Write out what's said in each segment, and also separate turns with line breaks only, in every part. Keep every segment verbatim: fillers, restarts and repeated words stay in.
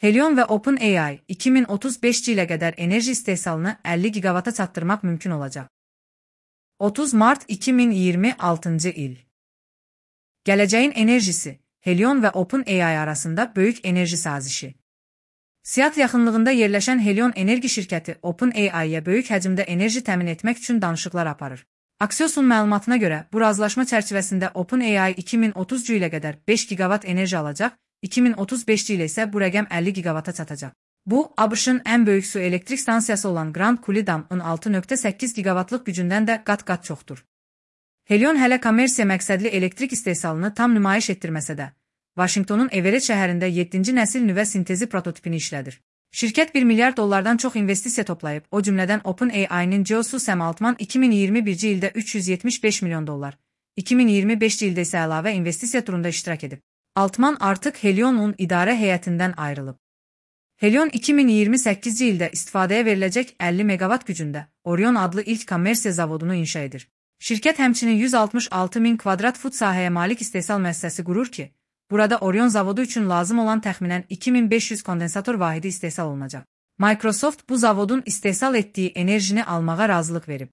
Helion və OpenAI iki min otuz beşinci ilə qədər enerji istehsalını əlli gigavata çatdırmaq mümkün olacaq. otuz mart iki min iyirmi altıncı il. Gələcəyin enerjisi, Helion və OpenAI arasında böyük enerji sazişi. Seattle yaxınlığında yerləşən Helion enerji şirkəti OpenAI-yə böyük həcmdə enerji təmin etmək üçün danışıqlar aparır. Axios'un məlumatına görə, bu razılaşma çərçivəsində OpenAI iki min otuzuncu ilə qədər beş gigavat enerji alacaq, iki min otuz beşinci ilə isə bu rəqəm əlli gigavata çatacaq. Bu, ABŞ-ın ən böyük su elektrik stansiyası olan Grand Coulee Dam-ın altı nöqtə səkkiz gigavatlıq gücündən də qat-qat çoxdur. Helion hələ kommersiya məqsədli elektrik istehsalını tam nümayiş etdirməsə də, Vaşinqtonun Everett şəhərində yeddinci nəsil nüvə sintezi prototipini işlədir. Şirkət bir milyard dollardan çox investisiya toplayıb, o cümlədən OpenAI-nin Geosu Sam Altman iki min iyirmi birinci ildə üç yüz yetmiş beş milyon dollar, iki min iyirmi beşinci ildə isə əlavə investisiya turunda iştirak edib. Altman artıq Helion'un idarə heyətindən ayrılıb. Helion iki min iyirmi səkkizinci ildə istifadəyə veriləcək əlli megavat gücündə Orion adlı ilk kommersiya zavodunu inşa edir. Şirkət həmçinin yüz altmış altı min kvadrat fut sahəyə malik istehsal müəssisəsi qurur ki, burada Orion zavodu üçün lazım olan təxminən iki min beş yüz kondensator vahidi istehsal olunacaq. Microsoft bu zavodun istehsal etdiyi enerjini almağa razılıq verib.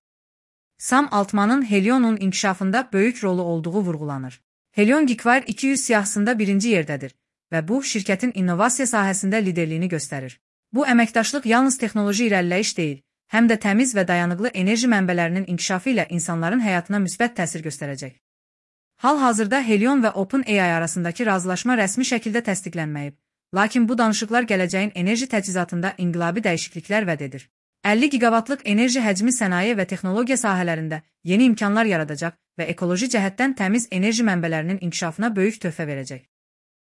Sam Altman'ın Helion'un inkişafında böyük rolu olduğu vurğulanır. Helion Geekwire iki yüz siyahısında birinci yerdədir və bu, şirkətin innovasiya sahəsində liderliyini göstərir. Bu əməkdaşlıq yalnız texnoloji irəliləyiş deyil, həm də təmiz və dayanıqlı enerji mənbələrinin inkişafı ilə insanların həyatına müsbət təsir göstərəcək. Hal-hazırda Helion və OpenAI arasındakı razılaşma rəsmi şəkildə təsdiqlənməyib, lakin bu danışıqlar gələcəyin enerji təchizatında inqilabi dəyişikliklər vəd edir. əlli gigavatlıq enerji həcmi sənaye və texnologiya sahələrində yeni imkanlar yaradacaq və ekoloji cəhətdən təmiz enerji mənbələrinin inkişafına böyük töhfə verəcək.